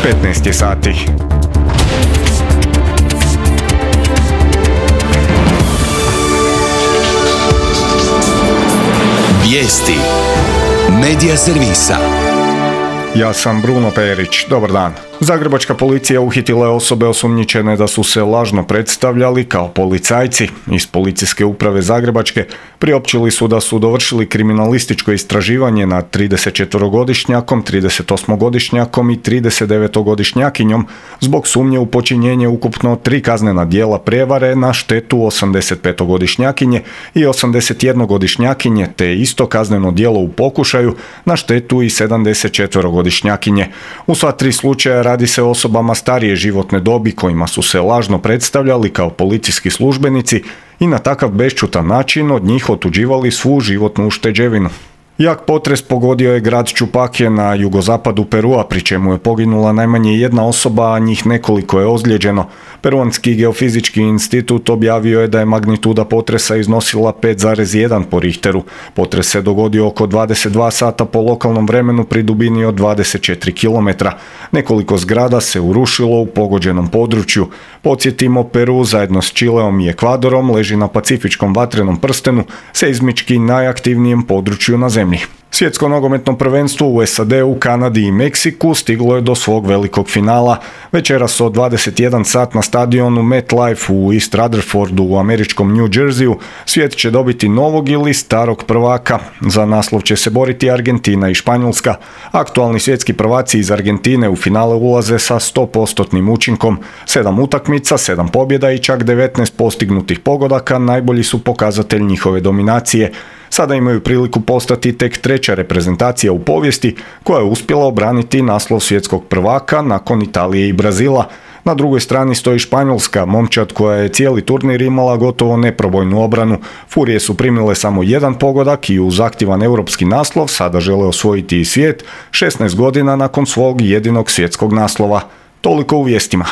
15 je sati. Vijesti Medija servisa. Ja sam Bruno Perić. Dobar dan. Zagrebačka policija uhitila je osobe osumnjičene da su se lažno predstavljali kao policajci. Iz Policijske uprave Zagrebačke priopćili su da su dovršili kriminalističko istraživanje nad 34-godišnjakom, 38-godišnjakom i 39-godišnjakinjom zbog sumnje u počinjenje ukupno 3 kaznena djela prijevare na štetu 85-godišnjakinje i 81-godišnjakinje, te isto kazneno djelo u pokušaju na štetu i 74-godišnjakinje. U sva 3 slučaja radi se o osobama starije životne dobi kojima su se lažno predstavljali kao policijski službenici i na takav bešćutan način od njih otuđivali svu životnu ušteđevinu. Jak potres pogodio je grad Čupakije na jugozapadu Perua, pri čemu je poginula najmanje jedna osoba, a njih nekoliko je ozlijeđeno. Peruanski geofizički institut objavio je da je magnituda potresa iznosila 5,1 po Richteru. Potres se dogodio oko 22 sata po lokalnom vremenu pri dubini od 24 km. Nekoliko zgrada se urušilo u pogođenom području. Podsjetimo, Peru zajedno s Čileom i Ekvadorom leži na pacifičkom vatrenom prstenu, seizmički najaktivnijem području na zemlji. Svjetsko nogometno prvenstvo u SAD-u, Kanadi i Meksiku stiglo je do svog velikog finala. Večeras od 21 sat na stadionu MetLife u East Rutherfordu u američkom New Jerseyu svijet će dobiti novog ili starog prvaka. Za naslov će se boriti Argentina i Španjolska. Aktualni svjetski prvaci iz Argentine u finale ulaze sa 100% učinkom. 7 utakmica, 7 pobjeda i čak 19 postignutih pogodaka najbolji su pokazatelj njihove dominacije. Sada imaju priliku postati tek treća reprezentacija u povijesti koja je uspjela obraniti naslov svjetskog prvaka nakon Italije i Brazila. Na drugoj strani stoji Španjolska, momčad koja je cijeli turnir imala gotovo neprobojnu obranu. Furije su primile samo jedan pogodak i uz aktivan europski naslov sada žele osvojiti i svijet 16 godina nakon svog jedinog svjetskog naslova. Toliko u vijestima.